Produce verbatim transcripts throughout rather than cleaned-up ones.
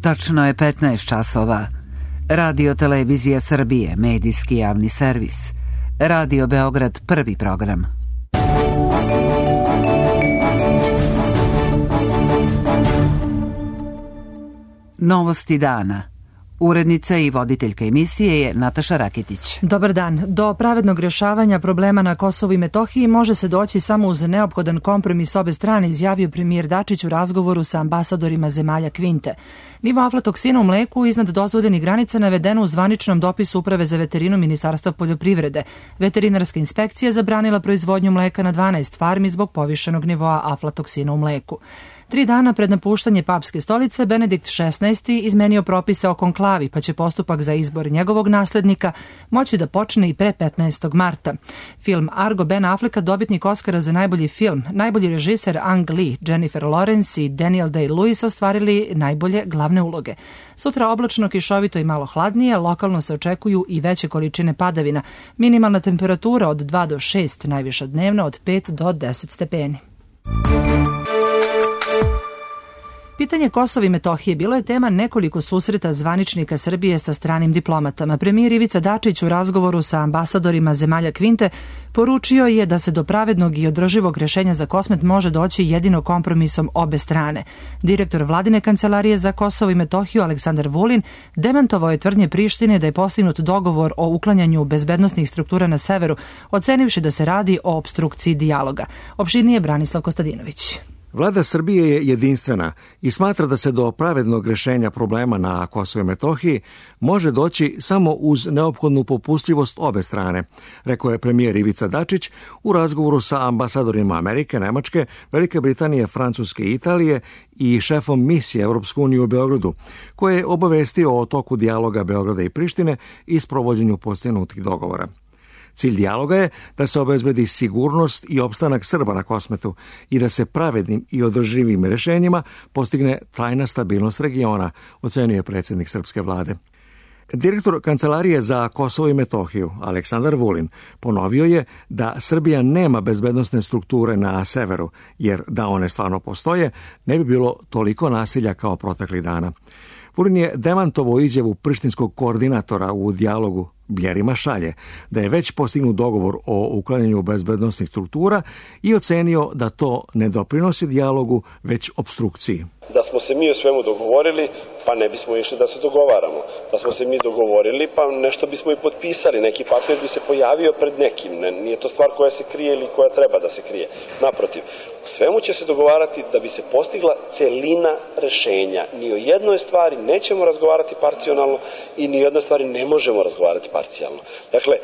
Tačno je petnaest časova. Radio Televizija Srbije, medijski javni servis. Radio Beograd, prvi program. Novosti dana. Urednica i voditeljka emisije je Nataša Rakitić. Dobar dan. Do pravednog rješavanja problema na Kosovu i Metohiji može se doći samo uz neophodan kompromis obe strane, izjavio premijer Dačić u razgovoru sa ambasadorima zemalja Kvinte. Nivo aflatoksina u mleku iznad dozvoljenih granica navedeno u zvaničnom dopisu Uprave za veterinu Ministarstva poljoprivrede. Veterinarska inspekcija zabranila proizvodnju mleka na dvanaest farmi zbog povišenog nivoa aflatoksina u mleku. Tri dana pred napuštanje papske stolice, Benedikt šesnaesti izmenio propise o konklavi, pa će postupak za izbor njegovog naslednika moći da počne i pre petnaestog marta. Film Argo Ben Afflecka, dobitnik Oskara za najbolji film, najbolji režiser Ang Lee, Jennifer Lawrence i Daniel Day-Lewis ostvarili najbolje glavne uloge. Sutra oblačno, kišovito i malo hladnije, lokalno se očekuju i veće količine padavina. Minimalna temperatura od dva do šest, najviša dnevno od pet do deset stepeni. Pitanje Kosova i Metohije bilo je tema nekoliko susreta zvaničnika Srbije sa stranim diplomatama. Premijer Ivica Dačić u razgovoru sa ambasadorima zemalja Kvinte poručio je da se do pravednog i održivog rješenja za Kosmet može doći jedino kompromisom obe strane. Direktor Vladine kancelarije za Kosovo i Metohiju Aleksandar Vulin demantovao je tvrdnje Prištine da je postignut dogovor o uklanjanju bezbednosnih struktura na severu, ocenivši da se radi o opstrukciji dijaloga. Opširnije Branislav Kostadinović. Vlada Srbije je jedinstvena i smatra da se do pravednog rješenja problema na Kosovu i Metohiji može doći samo uz neophodnu popustljivost obe strane, rekao je premijer Ivica Dačić u razgovoru sa ambasadorima Amerike, Nemačke, Velike Britanije, Francuske i Italije i šefom misije Europske unije u Beogradu, koje je obavestio o toku dijaloga Beograda i Prištine i sprovođenju postignutih dogovora. Cilj dijaloga je da se obezbedi sigurnost i opstanak Srba na Kosmetu i da se pravednim i održivim rješenjima postigne trajna stabilnost regiona, ocenio je predsjednik srpske vlade. Direktor Kancelarije za Kosovo i Metohiju, Aleksandar Vulin, ponovio je da Srbija nema bezbednosne strukture na severu, jer da one stvarno postoje, ne bi bilo toliko nasilja kao proteklih dana. Vulin je demantovao izjavu prištinskog koordinatora u dijalogu Bljerima Šalje, da je već postignut dogovor o uklanjanju bezbednosnih struktura i ocenio da to ne doprinosi dijalogu, već opstrukciji. Da smo se mi o svemu dogovorili, pa ne bismo išli da se dogovaramo. Da smo se mi dogovorili, pa nešto bismo i potpisali, neki papir bi se pojavio pred nekim. Ne, nije to stvar koja se krije ili koja treba da se krije. Naprotiv, o svemu će se dogovarati da bi se postigla celina rešenja. Ni o jednoj stvari nećemo razgovarati parcijalno i ni o jednoj stvari ne možemo razgovarati parcijalno. Dakle,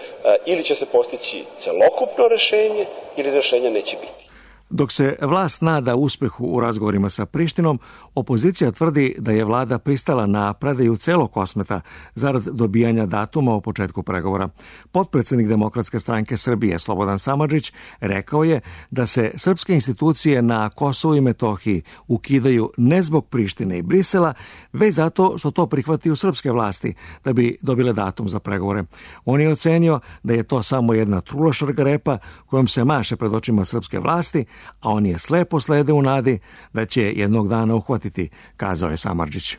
ili će se postići celokupno rešenje ili rešenja neće biti. Dok se vlast nada uspehu u razgovorima sa Prištinom, opozicija tvrdi da je vlada pristala na predaju celog Kosmeta zarad dobijanja datuma o početku pregovora. Potpredsjednik Demokratske stranke Srbije Slobodan Samardžić rekao je da se srpske institucije na Kosovu i Metohiji ukidaju ne zbog Prištine i Brisela, već zato što to prihvataju srpske vlasti da bi dobile datum za pregovore. On je ocenio da je to samo jedna trula šargarepa kojom se maše pred očima srpske vlasti, a on je slepo slede u nadi da će jednog dana uhvatiti, kazao je Samardžić.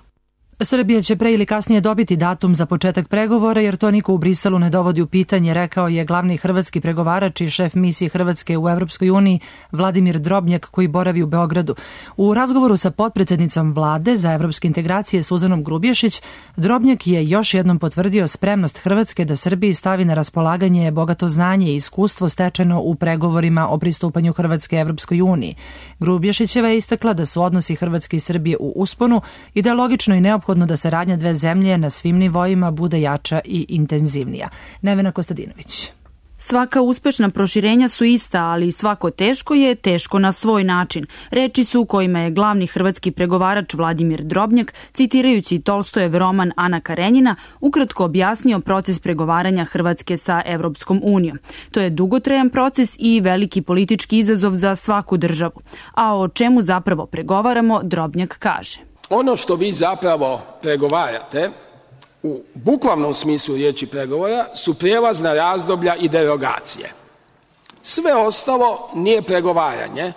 Srbija će pre ili kasnije dobiti datum za početak pregovora, jer to niko u Briselu ne dovodi u pitanje, rekao je glavni hrvatski pregovarač i šef misije Hrvatske u Evropskoj uniji Vladimir Drobnjak, koji boravi u Beogradu. U razgovoru sa potpredsjednicom vlade za evropske integracije Suzanom Grubješić, Drobnjak je još jednom potvrdio spremnost Hrvatske da Srbiji stavi na raspolaganje bogato znanje i iskustvo stečeno u pregovorima o pristupanju Hrvatske Evropskoj uniji. Grubješićeva je istakla da su odnosi Hrvatske i Srbije u usponu i da je logično i neophodno da saradnja dve zemlje na svim nivoima bude jača i intenzivnija. Nevena Kostadinović. Svaka uspešna proširenja su ista, ali svako teško je teško na svoj način. Reči su kojima je glavni hrvatski pregovarač Vladimir Drobnjak, citirajući Tolstojev roman Ana Karenjina, ukratko objasnio proces pregovaranja Hrvatske sa Evropskom unijom. To je dugotrajan proces i veliki politički izazov za svaku državu. A o čemu zapravo pregovaramo, Drobnjak kaže. Ono što vi zapravo pregovarate, u bukvalnom smislu riječi pregovora, su prijelazna razdoblja i derogacije. Sve ostalo nije pregovaranje,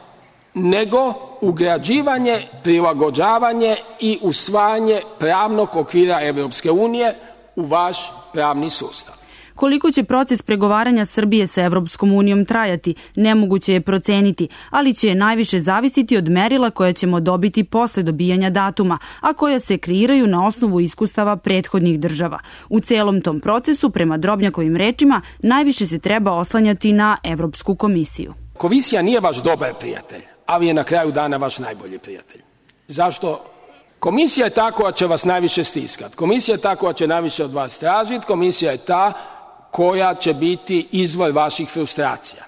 nego ugrađivanje, prilagođavanje i usvajanje pravnog okvira Evropske unije u vaš pravni sustav. Koliko će proces pregovaranja Srbije sa Evropskom unijom trajati, nemoguće je proceniti, ali će najviše zavisiti od merila koja ćemo dobiti posle dobijanja datuma, a koja se kreiraju na osnovu iskustava prethodnih država. U celom tom procesu, prema Drobnjakovim rečima, najviše se treba oslanjati na Evropsku komisiju. Komisija nije vaš dobar prijatelj, ali je na kraju dana vaš najbolji prijatelj. Zašto? Komisija je ta koja će vas najviše stiskati. Komisija je ta koja će najviše od vas tražiti. Komisija je ta koja će biti izvor vaših frustracija.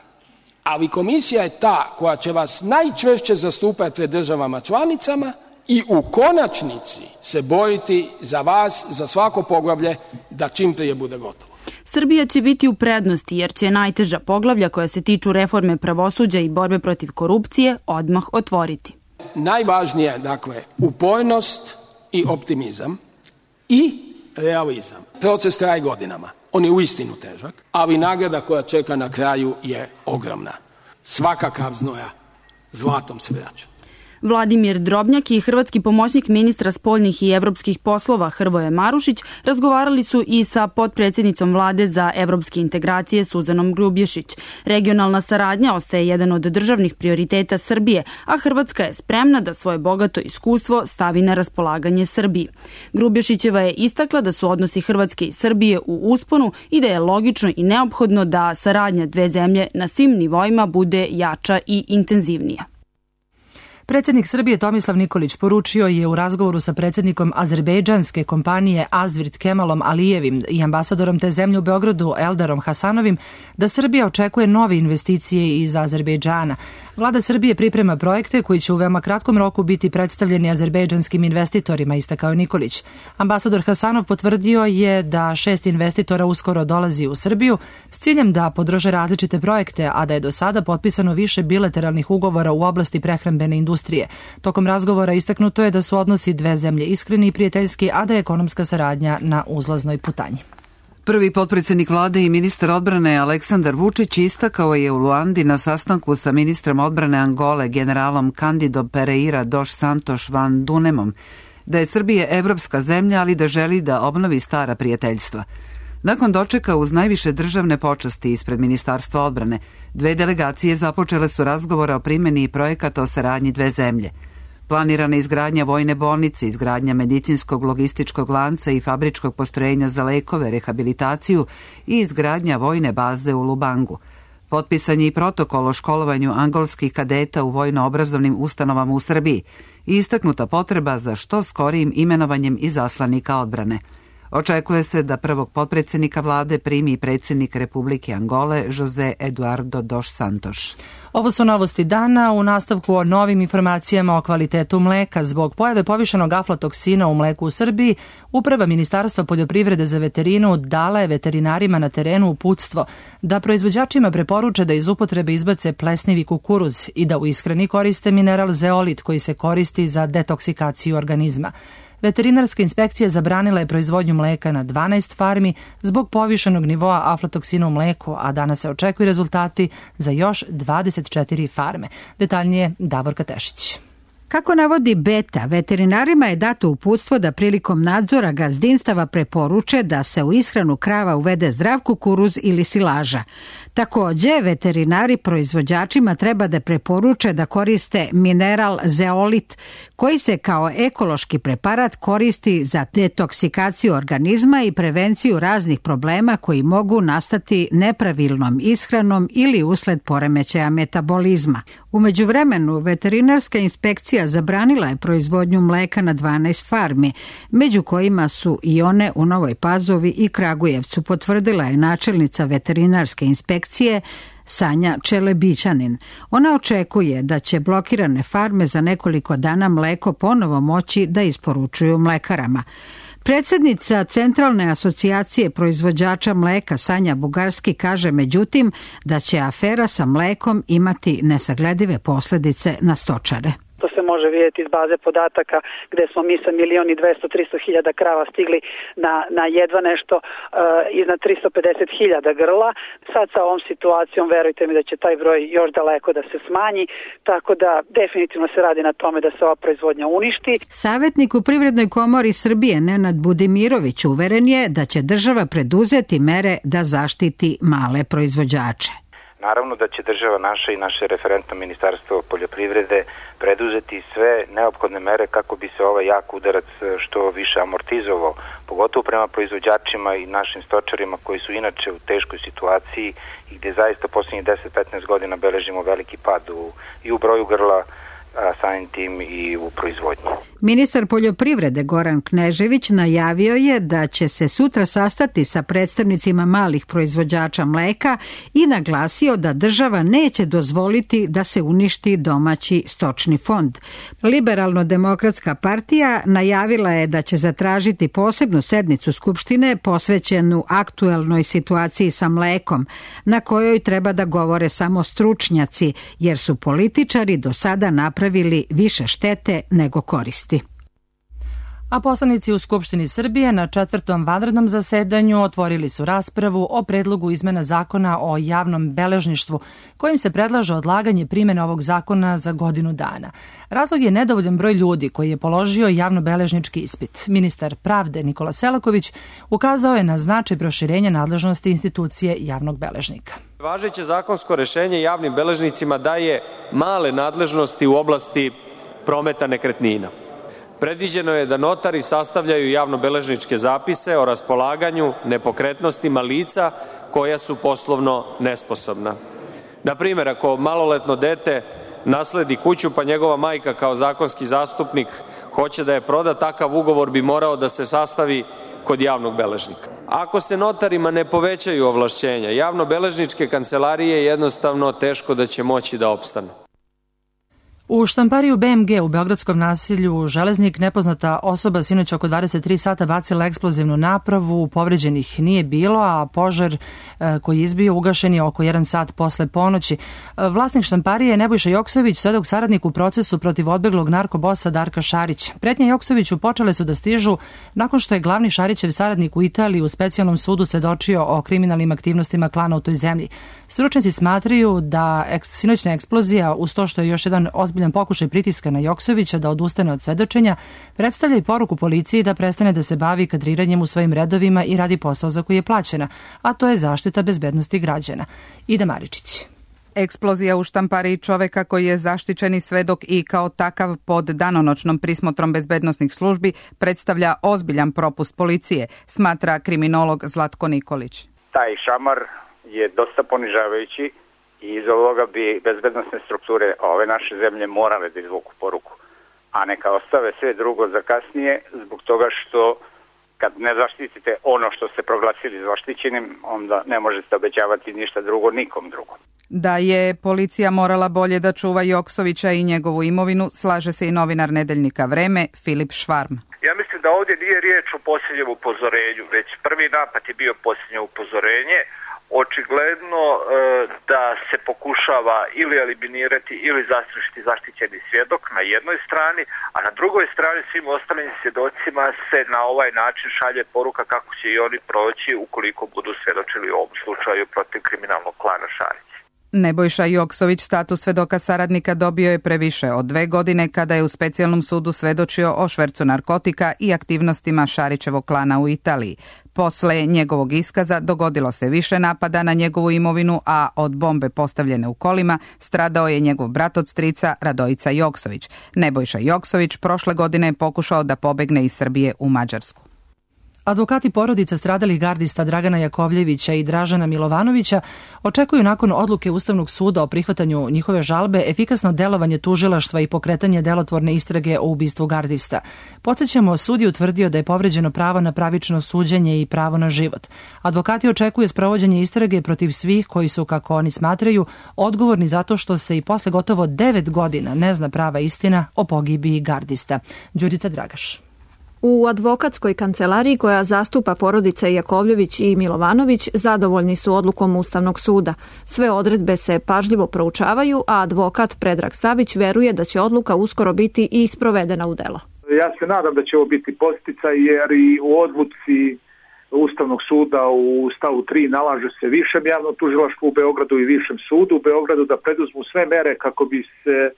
Ali komisija je ta koja će vas najčvršće zastupati pred državama članicama i u konačnici se boriti za vas, za svako poglavlje, da čim prije bude gotovo. Srbija će biti u prednosti jer će najteža poglavlja koja se tiču reforme pravosuđa i borbe protiv korupcije odmah otvoriti. Najvažnije je, dakle, upornost i optimizam i realizam. Proces traje godinama. On je uistinu težak, ali nagrada koja čeka na kraju je ogromna. Svaka kap znoja zlatom se vraća. Vladimir Drobnjak i hrvatski pomoćnik ministra spoljnih i evropskih poslova Hrvoje Marušić razgovarali su i sa potpredsjednicom vlade za evropske integracije Suzanom Grubješić. Regionalna saradnja ostaje jedan od državnih prioriteta Srbije, a Hrvatska je spremna da svoje bogato iskustvo stavi na raspolaganje Srbiji. Grubješićeva je istakla da su odnosi Hrvatske i Srbije u usponu i da je logično i neophodno da saradnja dve zemlje na svim nivoima bude jača i intenzivnija. Predsjednik Srbije Tomislav Nikolić poručio je u razgovoru sa predsjednikom azerbejdžanske kompanije Azvirt Kemalom Alijevim i ambasadorom te zemlje u Beogradu Eldarom Hasanovim da Srbija očekuje nove investicije iz Azerbejdžana. Vlada Srbije priprema projekte koji će u veoma kratkom roku biti predstavljeni azerbejdžanskim investitorima, istakao Nikolić. Ambasador Hasanov potvrdio je da šest investitora uskoro dolazi u Srbiju s ciljem da podrže različite projekte, a da je do sada potpisano više bilateralnih ugovora u oblasti prehrambene industrije. Tokom razgovora istaknuto je da su odnosi dve zemlje iskreni i prijateljski, a da je ekonomska saradnja na uzlaznoj putanji. Prvi potpredsjednik vlade i ministar odbrane Aleksandar Vučić istakao je u Luandi na sastanku sa ministrom odbrane Angole generalom Candido Pereira dos Santos van Dunemom da je Srbija evropska zemlja, ali da želi da obnovi stara prijateljstva. Nakon dočeka uz najviše državne počasti ispred Ministarstva odbrane, dve delegacije započele su razgovore o primjeni projekata o saradnji dve zemlje. Planirana izgradnja vojne bolnice, izgradnja medicinskog logističkog lanca i fabričkog postrojenja za lekove, rehabilitaciju i izgradnja vojne baze u Lubangu. Potpisan je i protokol o školovanju angolskih kadeta u vojno-obrazovnim ustanovama u Srbiji i istaknuta potreba za što skorijim imenovanjem izaslanika odbrane. Očekuje se da prvog potpredsjednika vlade primi predsjednik Republike Angole José Eduardo dos Santos. Ovo su novosti dana. U nastavku o novim informacijama o kvalitetu mleka. Zbog pojave povišenog aflatoksina u mleku u Srbiji, Uprava Ministarstva poljoprivrede za veterinu dala je veterinarima na terenu uputstvo da proizvođačima preporuče da iz upotrebe izbace plesnivi kukuruz i da u ishrani koriste mineral zeolit koji se koristi za detoksikaciju organizma. Veterinarska inspekcija zabranila je proizvodnju mleka na dvanaest farmi zbog povišenog nivoa aflatoksina u mleku, a danas se očekuju rezultati za još dvadeset četiri farme. Detaljnije Davorka Tešić. Kako navodi Beta, veterinarima je dato uputstvo da prilikom nadzora gazdinstava preporuče da se u ishranu krava uvede zdrav kukuruz ili silaža. Također, veterinari proizvođačima treba da preporuče da koriste mineral zeolit, koji se kao ekološki preparat koristi za detoksikaciju organizma i prevenciju raznih problema koji mogu nastati nepravilnom ishranom ili usled poremećaja metabolizma. U međuvremenu, veterinarska inspekcija zabranila je proizvodnju mleka na dvanaest farmi, među kojima su i one u Novoj Pazovi i Kragujevcu, potvrdila je načelnica veterinarske inspekcije Sanja Čelebićanin. Ona očekuje da će blokirane farme za nekoliko dana mleko ponovo moći da isporučuju mlekarama. Predsjednica Centralne asocijacije proizvođača mleka Sanja Bugarski kaže međutim da će afera sa mlekom imati nesagledive posljedice na stočare. To se može vidjeti iz baze podataka gde smo mi sa milion i dvesta, trista hiljada krava stigli na, na jedva nešto uh, iznad tristo pedeset hiljada grla. Sad sa ovom situacijom verujte mi da će taj broj još daleko da se smanji, tako da definitivno se radi na tome da se ova proizvodnja uništi. Savjetnik u Privrednoj komori Srbije Nenad Budimirović uveren je da će država preduzeti mere da zaštiti male proizvođače. Naravno da će država naša i naše referentno ministarstvo poljoprivrede preduzeti sve neophodne mere kako bi se ovaj jak udarac što više amortizovao, pogotovo prema proizvođačima i našim stočarima koji su inače u teškoj situaciji i gde zaista posljednjih deset do petnaest godina beležimo veliki pad u, i u broju grla, a samim tim i u proizvodnji. Ministar poljoprivrede Goran Knežević najavio je da će se sutra sastati sa predstavnicima malih proizvođača mleka i naglasio da država neće dozvoliti da se uništi domaći stočni fond. Liberalno-demokratska partija najavila je da će zatražiti posebnu sednicu Skupštine posvećenu aktuelnoj situaciji sa mlekom, na kojoj treba da govore samo stručnjaci, jer su političari do sada napravili više štete nego koristi. A poslanici u Skupštini Srbije na četvrtom vanrednom zasedanju otvorili su raspravu o predlogu izmena zakona o javnom beležništvu, kojim se predlaže odlaganje primjene ovog zakona za godinu dana. Razlog je nedovoljan broj ljudi koji je položio javnobeležnički ispit. Ministar pravde Nikola Selaković ukazao je na značaj proširenja nadležnosti institucije javnog beležnika. Važeće zakonsko rešenje javnim beležnicima daje male nadležnosti u oblasti prometa nekretnina. Predviđeno je da notari sastavljaju javnobeležničke zapise o raspolaganju nepokretnostima lica koja su poslovno nesposobna. Na primjer, ako maloletno dete nasledi kuću pa njegova majka kao zakonski zastupnik hoće da je proda, takav ugovor bi morao da se sastavi kod javnog beležnika. Ako se notarima ne povećaju ovlašćenja, javnobeležničke kancelarije jednostavno teško da će moći da opstanu. U štampariju B M G u beogradskom naselju Železnik nepoznata osoba sinoć oko dvadeset tri sata bacila eksplozivnu napravu, povređenih nije bilo, a požar koji je izbio ugašen je oko jedan sat posle ponoći. Vlasnik štamparije Nebojša Joksović, svedok saradnik u procesu protiv odbeglog narkobosa Darka Šarića. Pretnje Joksoviću počele su da stižu nakon što je glavni Šarićev saradnik u Italiji u specijalnom sudu svedočio o kriminalnim aktivnostima klana u toj zemlji. Stručnjaci smatraju da sinoćna eksplozija, uz to što je još jedan ozbiljan pokušaj pritiska na Joksovića da odustane od svedočenja, predstavlja i poruku policiji da prestane da se bavi kadriranjem u svojim redovima i radi posao za koji je plaćena, a to je zaštita bezbednosti građana. Ida Maričić. Eksplozija u štampariji čoveka koji je zaštićeni svedok i kao takav pod danonoćnom prismotrom bezbednosnih službi predstavlja ozbiljan propust policije, smatra kriminolog Zlatko Nikolić. Taj šamar je dosta ponižavajući i iz ovoga bi bezbednosne strukture ove naše zemlje morale da izvuku poruku, a neka ostave sve drugo za kasnije, zbog toga što kad ne zaštitite ono što ste proglasili zaštićenim, onda ne možete obećavati ništa drugo nikom drugom. Da je policija morala bolje da čuva Joksovića i njegovu imovinu, slaže se i novinar nedeljnika Vreme Filip Švarm. Ja mislim da ovdje nije riječ o posljednjem upozorenju, već prvi napad je bio posljednje upozorenje. Očigledno e, da se pokušava ili eliminirati ili zastrašiti zaštićeni svjedok na jednoj strani, a na drugoj strani svim ostalim svjedocima se na ovaj način šalje poruka kako će i oni proći ukoliko budu svjedočili u ovom slučaju protiv kriminalnog klana Šarić. Nebojša Joksović status svedoka saradnika dobio je previše od dve godine kada je u specijalnom sudu svedočio o švercu narkotika i aktivnostima Šarićevog klana u Italiji. Posle njegovog iskaza dogodilo se više napada na njegovu imovinu, a od bombe postavljene u kolima stradao je njegov brat od strica Radojica Joksović. Nebojša Joksović prošle godine je pokušao da pobegne iz Srbije u Mađarsku. Advokati porodica stradalih gardista Dragana Jakovljevića i Dražana Milovanovića očekuju nakon odluke Ustavnog suda o prihvatanju njihove žalbe efikasno delovanje tužilaštva i pokretanje delotvorne istrage o ubistvu gardista. Podsjećamo, sud je utvrdio da je povređeno pravo na pravično suđenje i pravo na život. Advokati očekuju sprovođenje istrage protiv svih koji su, kako oni smatraju, odgovorni zato što se i posle gotovo devet godina ne zna prava istina o pogibiji gardista. Đurica Dragaš. U advokatskoj kancelariji koja zastupa porodice Jakovljević i Milovanović zadovoljni su odlukom Ustavnog suda. Sve odredbe se pažljivo proučavaju, a advokat Predrag Savić veruje da će odluka uskoro biti i sprovedena u delo. Ja se nadam da će ovo biti posticaj jer i u odluci Ustavnog suda u stavu tri nalaže se višem javnom tužilaštvu u Beogradu i višem sudu u Beogradu da preduzmu sve mere kako bi se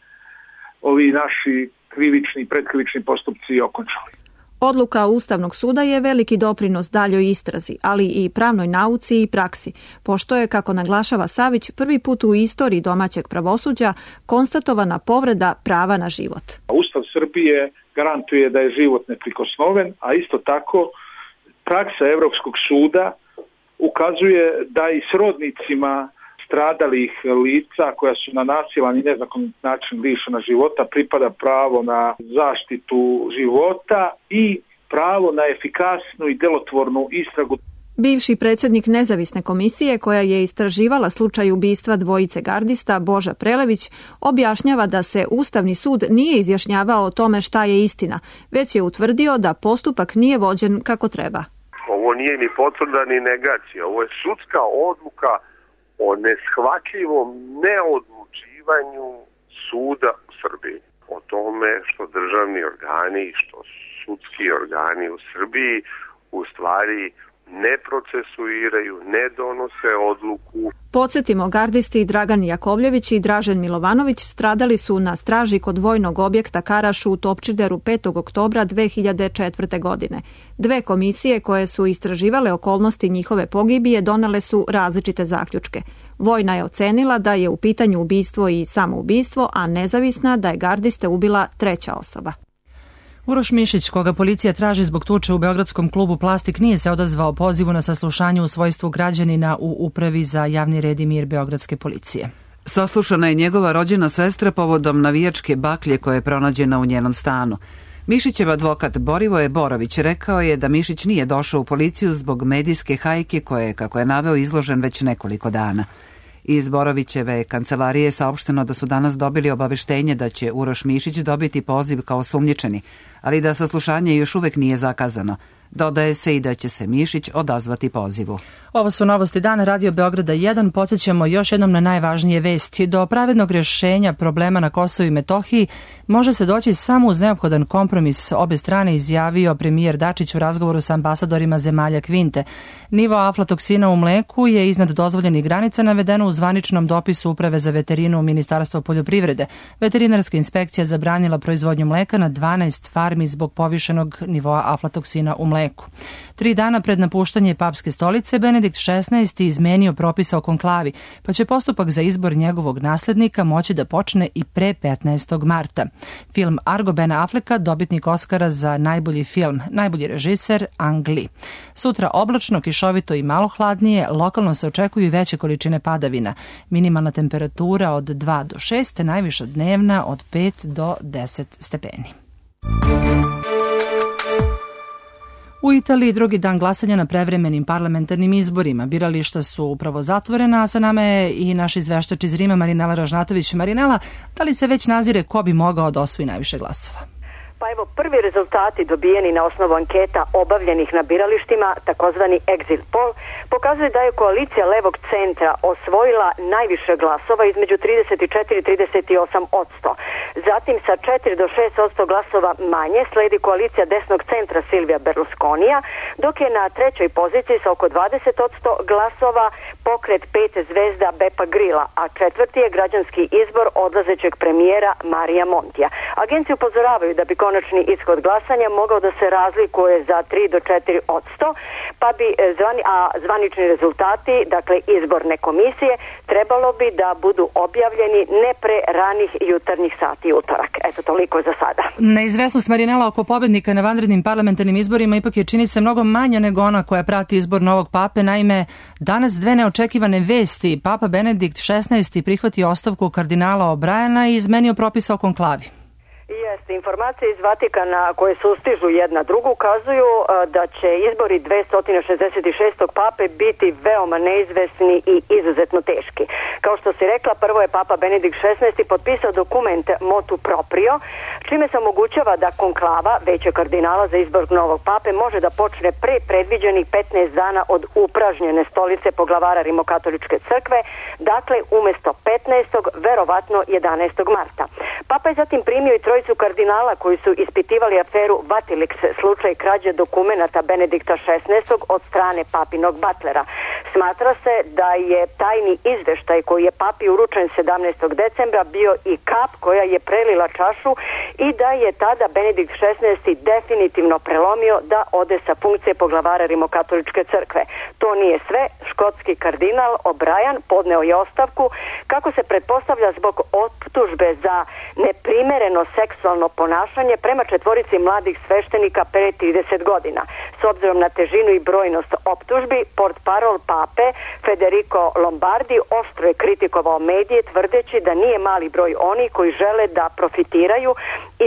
ovi naši krivični i predkrivični postupci okončali. Odluka Ustavnog suda je veliki doprinos daljoj istrazi, ali i pravnoj nauci i praksi, pošto je, kako naglašava Savić, prvi put u istoriji domaćeg pravosuđa konstatovana povreda prava na život. Ustav Srbije garantuje da je život neprikosnoven, a isto tako praksa Evropskog suda ukazuje da i srodnicima stradalih lica koja su na nasilan i nezakonit način lišena života pripada pravo na zaštitu života i pravo na efikasnu i delotvornu istragu. Bivši predsjednik nezavisne komisije koja je istraživala slučaj ubistva dvojice gardista Boža Prelević objašnjava da se Ustavni sud nije izjašnjavao o tome šta je istina, već je utvrdio da postupak nije vođen kako treba. Ovo nije ni potvrda ni negacija, ovo je sudska odluka o neshvatljivom neodlučivanju suda u Srbiji. O tome što državni organi i što sudski organi u Srbiji u stvari ne procesuiraju, ne donose odluku. Podsjetimo, gardisti Dragan Jakovljević i Dražen Milovanović stradali su na straži kod vojnog objekta Karaš u Topčideru petog oktobra dve hiljade četvrte. godine. Dve komisije koje su istraživale okolnosti njihove pogibije donele su različite zaključke. Vojna je ocenila da je u pitanju ubistvo i samoubistvo, a nezavisna da je gardiste ubila treća osoba. Uroš Mišić, koga policija traži zbog tuče u beogradskom klubu Plastik, nije se odazvao pozivu na saslušanje u svojstvu građanina u Upravi za javni red i mir beogradske policije. Saslušana je njegova rođena sestra povodom navijačke baklje koja je pronađena u njenom stanu. Mišićev advokat Borivoje Borović rekao je da Mišić nije došao u policiju zbog medijske hajke koje je, kako je naveo, izložen već nekoliko dana. Iz Borovićeve kancelarije je saopšteno da su danas dobili obaveštenje da će Uroš Mišić dobiti poziv kao osumnjičeni, ali da saslušanje još uvek nije zakazano. Dodaje se i da će se Mišić odazvati pozivu. Ovo su novosti dana Radio Beograda jedan. Podsjećamo još jednom na najvažnije vesti. Do pravednog rješenja problema na Kosovu i Metohiji može se doći samo uz neophodan kompromis. Obe strane izjavio premijer Dačić u razgovoru sa ambasadorima zemalja Kvinte. Nivo aflatoksina u mleku je iznad dozvoljenih granica navedeno u zvaničnom dopisu Uprave za veterinu Ministarstva poljoprivrede. Veterinarska inspekcija zabranila proizvodnju mleka na dvanaest farmi zbog povišenog nivoa aflatoksina u mleku. Tri dana pred napuštanje papske stolice, Benedikt šesnaesti izmenio propisa o konklavi, pa će postupak za izbor njegovog naslednika moći da počne i pre petnaestog marta. Film Argo Bena Afflecka, dobitnik Oskara za najbolji film, najbolji režiser Ang Lee. Sutra oblačno, kišovito i malo hladnije, lokalno se očekuju veće količine padavina. Minimalna temperatura od dva do šest, najviša dnevna od pet do deset stepeni. U Italiji drugi dan glasanja na prevremenim parlamentarnim izborima. Birališta su upravo zatvorena, a sa nama je i naš izveštač iz Rima Marinela Ražnatović. Marinela, da li se već nazire ko bi mogao da osvoji najviše glasova? Pa evo, prvi rezultati dobijeni na osnovu anketa obavljenih na biralištima, takozvani exit poll, pokazuje da je koalicija levog centra osvojila najviše glasova između trideset četiri do trideset osam odsto. Zatim sa četiri do šest odsto glasova manje sledi koalicija desnog centra Silvija Berlusconija, dok je na trećoj poziciji sa oko dvadeset odsto glasova pokret pet zvezda Bepa Grilla, a četvrti je građanski izbor odlazećeg premijera Marija Montija. Agencije upozoravaju da bi konačni ishod glasanja mogao da se razlikuje za tri do četiri odsto, pa bi zvani, a zvanični rezultati, dakle izborne komisije, trebalo bi da budu objavljeni ne pre ranih jutarnjih sati utorak. Eto, toliko za sada. Neizvesnost, Marinela, oko pobednika na vanrednim parlamentarnim izborima ipak je, čini se, mnogo manja nego ona koja prati izbor novog pape. Naime, danas dve neočekivane vesti. Papa Benedikt šesnaesti prihvatio ostavku kardinala O'Briena i izmenio propisa o konklavi. Jeste, Informacije iz Vatikana koje sustižu jedna drugu ukazuju da će izbori dvesta šezdeset šestog pape biti veoma neizvesni i izuzetno teški. Kao što si rekla, prvo je papa Benedikt šesnaesti potpisao dokument motu proprio, čime se omogućava da konklava veće kardinala za izbor novog pape može da počne pre predviđenih petnaest dana od upražnjene stolice poglavara Rimokatoličke crkve, dakle umesto petnaestog verovatno jedanaestog marta. Papa je zatim primio i trojicu kardinala koji su ispitivali aferu Vatilix, slučaj krađe dokumenata Benedikta šesnaestog od strane papinog batlera. Smatra se da je tajni izveštaj koji je papi uručen sedamnaestog decembra bio i kap koja je prelila čašu i da je tada Benedikt šesnaesti definitivno prelomio da ode sa funkcije poglavara Rimokatoličke crkve. To nije sve, škotski kardinal O'Brien podneo je ostavku kako se pretpostavlja zbog optužbe za neprimereno seksualno ponašanje prema četvorici mladih sveštenika pre trideset godina. S obzirom na težinu i brojnost optužbi, portparol pape Federico Lombardi oštro je kritikovao medije tvrdeći da nije mali broj oni koji žele da profitiraju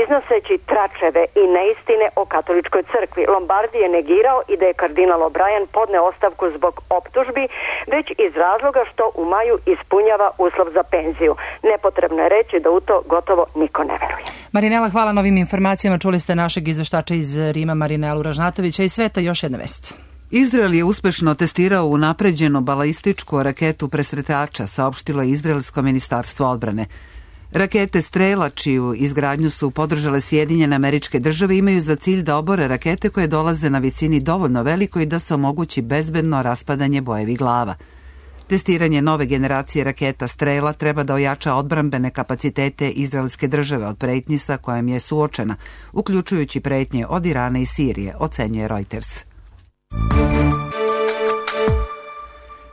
iznoseći tračeve i neistine o katoličkoj crkvi. Lombardi je negirao i da je kardinal O'Brien podneo ostavku zbog optužbi, već iz razloga što u maju ispunjava uslov za penziju. Nepotrebno je reći da u to gotovo niko ne veruje. Marinela, hvala na ovim informacijama. Čuli ste našeg izveštača iz Rima, Marinelu Ražnatovića. I sveta još jedna vest. Izrael je uspešno testirao unapređenu balističku raketu presretača, saopštilo je Izraelsko ministarstvo odbrane. Rakete Strela, čiju izgradnju su podržale Sjedinjene Američke Države, imaju za cilj da obore rakete koje dolaze na visini dovoljno velikoj da se omogući bezbedno raspadanje bojevih glava. Testiranje nove generacije raketa Strela treba da ojača odbrambene kapacitete izraelske države od pretnji sa kojom je suočena, uključujući pretnje od Irana i Sirije, ocenjuje Reuters.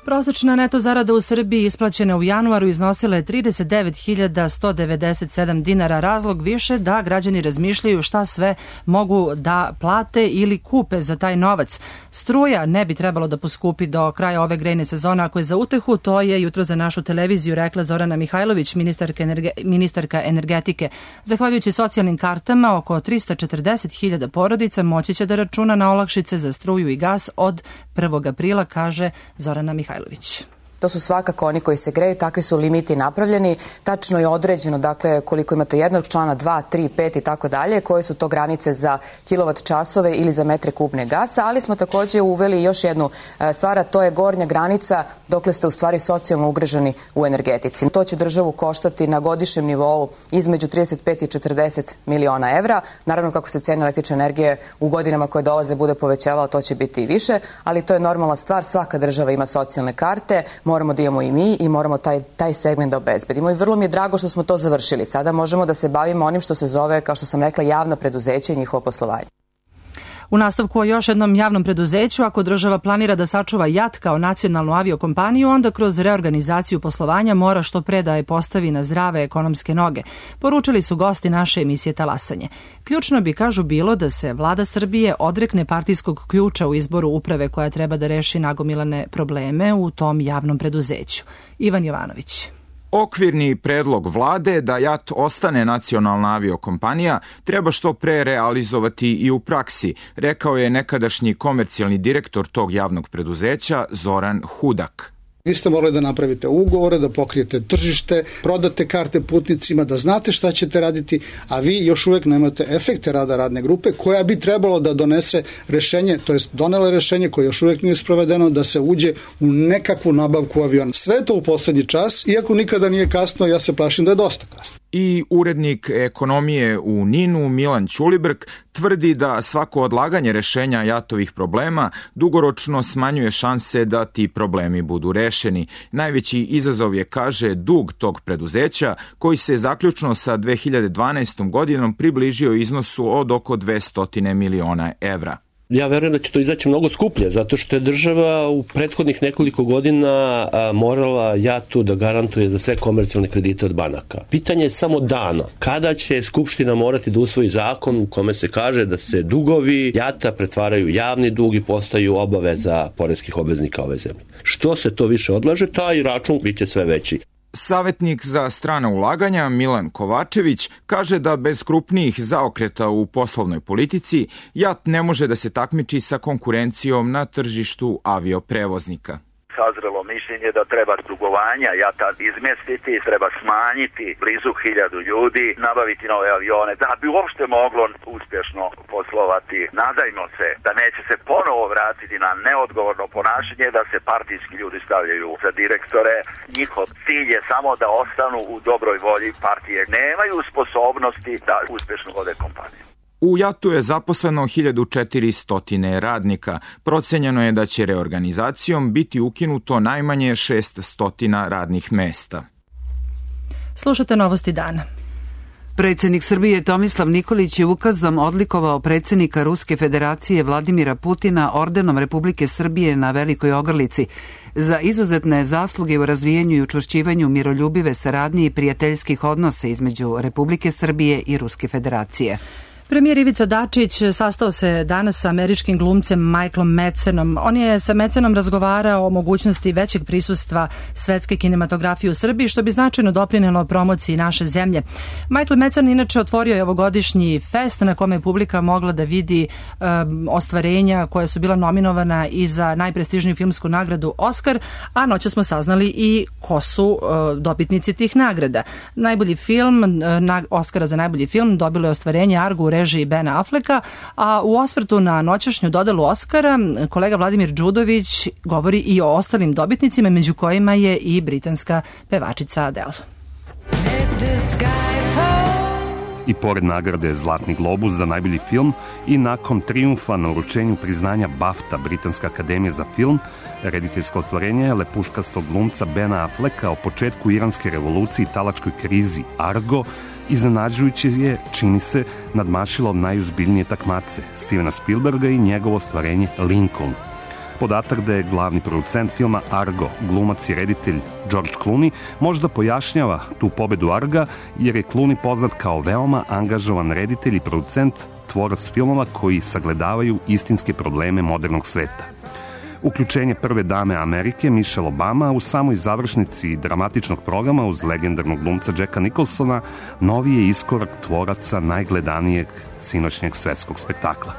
Prosečna neto zarada u Srbiji isplaćena u januaru iznosila je trideset devet hiljada sto devedeset sedam dinara, razlog više da građani razmišljaju šta sve mogu da plate ili kupe za taj novac. Struja ne bi trebalo da poskupi do kraja ove grejne sezone, ako je za utehu, to je jutro za našu televiziju rekla Zorana Mihajlović, ministarka, energe, ministarka energetike. Zahvaljujući socijalnim kartama, oko tristo četrdeset hiljada porodica moći će da računa na olakšice za struju i gas od prvog aprila, kaže Zorana Mihajlović. To su svakako oni koji se greju, takvi su limiti napravljeni, tačno je određeno, dakle, koliko imate jednog člana, dva, tri, pet i tako dalje, koje su to granice za kilovat časove ili za metre kubne gasa, ali smo takođe uveli još jednu stvar, a to je gornja granica dokle ste u stvari socijalno ugroženi u energetici. To će državu koštati na godišnjem nivou između trideset pet i četrdeset miliona evra. Naravno, kako se cena električne energije u godinama koje dolaze bude povećavao, to će biti i više, ali to je normalna stvar, svaka država ima socijalne karte, moramo da imamo i mi i moramo taj, taj segment da obezbedimo. I vrlo mi je drago što smo to završili. Sada možemo da se bavimo onim što se zove, kao što sam rekla, javno preduzeće i njihovo poslovanje. U nastavku o još jednom javnom preduzeću, ako država planira da sačuva J A T kao nacionalnu aviokompaniju, onda kroz reorganizaciju poslovanja mora što pre da je postavi na zdrave ekonomske noge. Poručili su gosti naše emisije Talasanje. Ključno bi, kažu, bilo da se vlada Srbije odrekne partijskog ključa u izboru uprave koja treba da reši nagomilane probleme u tom javnom preduzeću. Ivan Jovanović. Okvirni predlog vlade da J A T ostane nacionalna aviokompanija treba što pre realizovati i u praksi, rekao je nekadašnji komercijalni direktor tog javnog preduzeća Zoran Hudak. Vi ste morali da napravite ugovore, da pokrijete tržište, prodate karte putnicima, da znate šta ćete raditi, a vi još uvek nemate efekte rada radne grupe koja bi trebalo da donese rešenje, to jest donele rešenje koje još uvek nije sprovedeno, da se uđe u nekakvu nabavku aviona. Sve to u poslednji čas, iako nikada nije kasno, ja se plašim da je dosta kasno. I urednik ekonomije u Ninu Milan Ćulibrk tvrdi da svako odlaganje rešenja J A T-ovih problema dugoročno smanjuje šanse da ti problemi budu rešeni. Najveći izazov je, kaže, dug tog preduzeća koji se zaključno sa dve hiljade dvanaestom godinom približio iznosu od oko dvesta miliona evra. Ja verujem da će to izaći mnogo skuplje, zato što je država u prethodnih nekoliko godina morala J A T-u da garantuje za sve komercijalne kredite od banaka. Pitanje je samo dana. Kada će Skupština morati da usvoji zakon u kome se kaže da se dugovi J A T-a pretvaraju javni dug i postaju obaveza poreskih obveznika ove zemlje. Što se to više odlaže, taj račun biće sve veći. Savetnik za strana ulaganja Milan Kovačević kaže da bez krupnijih zaokreta u poslovnoj politici JAT ne može da se takmiči sa konkurencijom na tržištu avioprevoznika. Sazrelo mišljenje da treba dugovanja JAT-a izmestiti, treba smanjiti blizu hiljadu ljudi, nabaviti nove avione, da bi uopšte moglo uspješno poslovati. Nadajmo se da neće se ponovo vratiti na neodgovorno ponašanje, da se partijski ljudi stavljaju za direktore. Njihov cilj je samo da ostanu u dobroj volji partije. Nemaju sposobnosti da uspješno vode kompaniju. U JAT-u je zaposleno hiljadu četiristo radnika. Procenjeno je da će reorganizacijom biti ukinuto najmanje šeststo radnih mesta. Slušate Novosti dana. Predsjednik Srbije Tomislav Nikolić je ukazom odlikovao predsjednika Ruske federacije Vladimira Putina ordenom Republike Srbije na Velikoj Ogrlici za izuzetne zasluge u razvijanju i učvršćivanju miroljubive saradnje i prijateljskih odnosa između Republike Srbije i Ruske federacije. Premijer Ivica Dačić sastao se danas sa američkim glumcem Michaelom Madsenom. On je sa Madsenom razgovarao o mogućnosti većeg prisustva svetske kinematografije u Srbiji, što bi značajno doprinelo promociji naše zemlje. Michael Madsen inače otvorio je ovogodišnji fest na kome je publika mogla da vidi um, ostvarenja koja su bila nominovana i za najprestižniju filmsku nagradu Oscar, a noća smo saznali i ko su uh, dobitnici tih nagrada. Najbolji film, uh, na, Oscara za najbolji film dobilo je ostvarenje Argo u režiji Bena Afflecka, a u osvrtu na noćašnju dodelu Oscara kolega Vladimir Đudović govori i o ostalim dobitnicima, među kojima je i britanska pevačica Adele. I pored nagrade Zlatni globus za najbolji film i nakon trijumfa na uručenju priznanja BAFTA Britanska akademija za film, rediteljsko ostvarenje je lepuškastog glumca Bena Afflecka o početku iranske revolucije i talačkoj krizi Argo iznenađujuće je, čini se, nadmašilo od najuzbiljnije takmace Stevena Spielberga i njegovo ostvarenje Lincoln. Podatak da je glavni producent filma Argo glumac i reditelj George Clooney možda pojašnjava tu pobedu Arga, jer je Clooney poznat kao veoma angažovan reditelj i producent, tvorac filmova koji sagledavaju istinske probleme modernog sveta. Uključenje prve dame Amerike, Michelle Obama, u samoj završnici dramatičnog programa uz legendarnog glumca Jacka Nicholsona, novi je iskorak tvoraca najgledanijeg sinoćnjeg svetskog spektakla.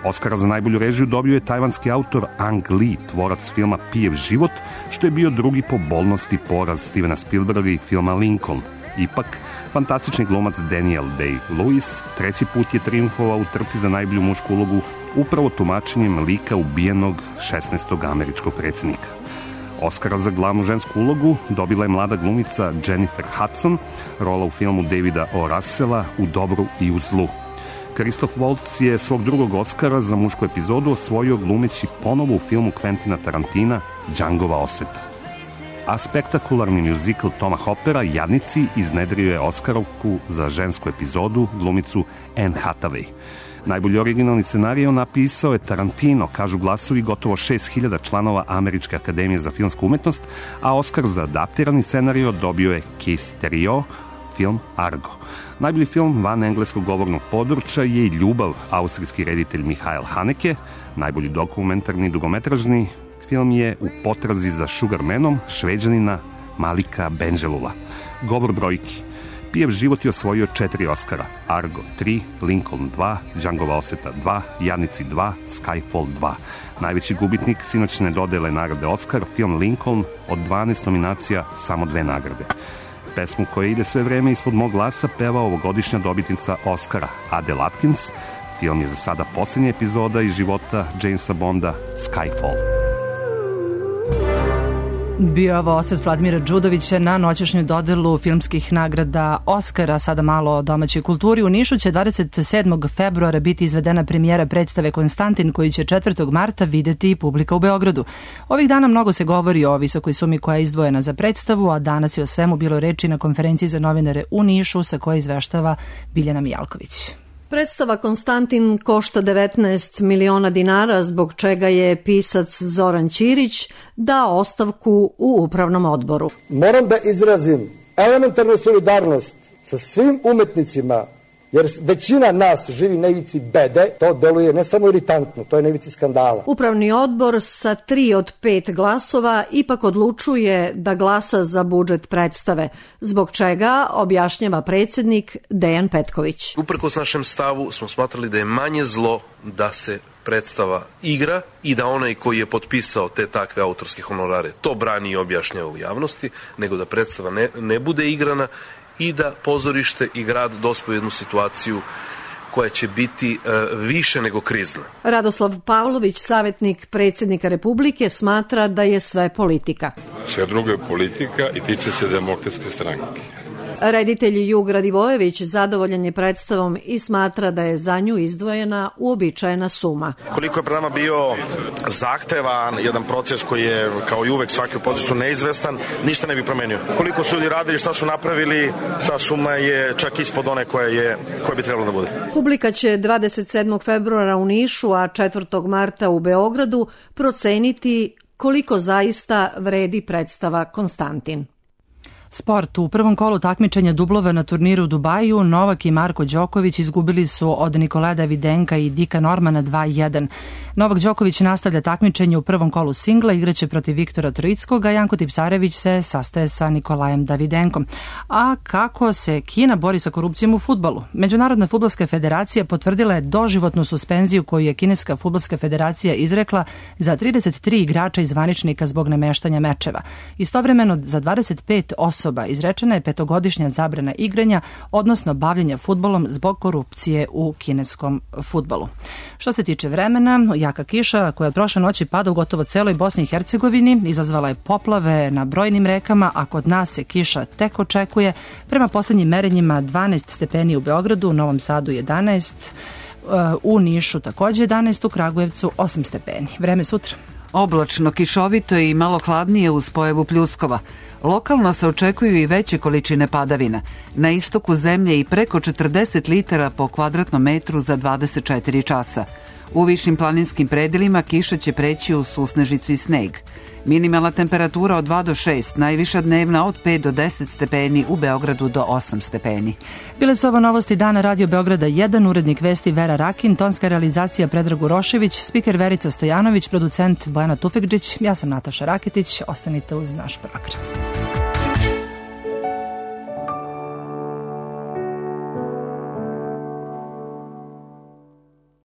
Oskara za najbolju režiju dobio je tajvanski autor Ang Lee, tvorac filma Pijev život, što je bio drugi po bolnosti poraz Stevena Spielberga i filma Lincoln. Ipak, fantastični glumac Daniel Day-Lewis treći put je trijumfovao u trci za najbolju mušku ulogu upravo tumačenjem lika ubijenog šesnaestog američkog predsjednika. Oskara za glavnu žensku ulogu dobila je mlada glumica Jennifer Hudson, rola u filmu Davida O. Russella U dobru i u zlu. Christoph Waltz je svog drugog Oskara za mušku epizodu osvojio glumeći ponovo u filmu Quentina Tarantina Djangova osveta. A spektakularni mjuzikl Toma Hoppera Jadnici iznedrio je Oskarovku za žensku epizodu glumicu Anne Hathaway. Najbolji originalni scenario napisao je Tarantino, kažu glasovi gotovo šest hiljada članova Američke akademije za filmsku umetnost, a Oskar za adaptirani scenario dobio je Keith Terrio, film Argo. Najbolji film van engleskog govornog područja je i Ljubav, austrijski reditelj Mihael Haneke. Najbolji dokumentarni dugometražni film je U potrazi za Sugarmanom Šveđanina Malika Benjelula. Govor brojki. Pijev život je osvojio četiri Oskara. Argo tri, Lincoln dva, Djangova osveta dva, Jadnici dva, Skyfall dva. Najveći gubitnik sinoćne dodele nagrade Oskar, film Lincoln, od dvanaest nominacija samo dve nagrade. Pesmu koja ide sve vreme ispod mog glasa peva ovogodišnja dobitnica Oskara, Adele Atkins. Film je za sada posljednja epizoda iz života Jamesa Bonda, Skyfall. Bio ovo osvrt Vladimira Đudovića na noćašnju dodelu filmskih nagrada Oskara. Sada malo o domaćoj kulturi. U Nišu će dvadeset sedmog februara biti izvedena premijera predstave Konstantin, koji će četvrtog marta videti i publika u Beogradu. Ovih dana mnogo se govori o visokoj sumi koja je izdvojena za predstavu, a danas je o svemu bilo reči na konferenciji za novinare u Nišu, sa koje izveštava Biljana Mijalković. Predstava Konstantin košta devetnaest miliona dinara, zbog čega je pisac Zoran Ćirić dao ostavku u upravnom odboru. Moram da izrazim elementarnu solidarnost sa svim umetnicima jer većina nas živi na ivici bede, to deluje ne samo iritantno, to je na ivici skandala. Upravni odbor sa tri od pet glasova ipak odlučuje da glasa za budžet predstave, zbog čega objašnjava predsjednik Dejan Petković. Uprkos našem stavu smo smatrali da je manje zlo da se predstava igra i da onaj koji je potpisao te takve autorske honorare to brani i objašnjava u javnosti, nego da predstava ne, ne bude igrana i da pozorište i grad dospe u jednu situaciju koja će biti e, više nego krizna. Radoslav Pavlović, savjetnik predsjednika Republike, smatra da je sve politika. Sve drugo je politika i tiče se Demokratske stranke. Reditelj Jug Radivojević zadovoljan je predstavom i smatra da je za nju izdvojena uobičajena suma. Koliko je pred nama bio zahtevan jedan proces koji je kao i uvek svaki u procesu neizvestan, ništa ne bi promenio. Koliko su ljudi radili, šta su napravili, ta suma je čak ispod one koja je koja bi trebalo da bude. Publika će dvadeset sedmog februara u Nišu, a četvrtog marta u Beogradu proceniti koliko zaista vredi predstava Konstantin. Sport. U prvom kolu takmičenja dublova na turniru u Dubaju Novak i Marko Đoković izgubili su od Nikolaja Davidenka i Dika Normana dva jedan. Novak Đoković nastavlja takmičenje u prvom kolu singla, igraće protiv Viktora Troickog, a Janko Tipsarević se sastaje sa Nikolajem Davidenkom. A kako se Kina bori sa korupcijom u fudbalu? Međunarodna fudbalska federacija potvrdila je doživotnu suspenziju koju je Kineska fudbalska federacija izrekla za trideset tri igrača i zvaničnika zbog nameštanja mečeva. Istovremeno za dvadeset pet osoba izrečena je petogodišnja zabrana igranja, odnosno bavljenja fudbalom zbog korupcije u kineskom fudbalu. Što se tiče vremena, jaka kiša koja od prošle noći pada u gotovo celoj Bosni i Hercegovini izazvala je poplave na brojnim rekama, a kod nas se kiša tek očekuje. Prema poslednjim merenjima dvanaest stepeni u Beogradu, u Novom Sadu jedanaest, u Nišu takođe jedanaest, u Kragujevcu osam stepeni. Vreme sutra. Oblačno, kišovito i malo hladnije uz pojavu pljuskova. Lokalno se očekuju i veće količine padavina. Na istoku zemlje i preko četrdeset litara po kvadratnom metru za dvadeset četiri časa. U višim planinskim predelima kiša će preći u susnežicu i sneg. Minimalna temperatura od dva do šest, najviša dnevna od pet do deset stepeni, u Beogradu do osam stepeni. Bile su ovo novosti dana Radio Beograda jedan, urednik vesti Vera Rakin, tonska realizacija Predrag Urošević, spiker Verica Stojanović, producent Bojana Tufekđić, ja sam Nataša Raketić, ostanite uz naš program.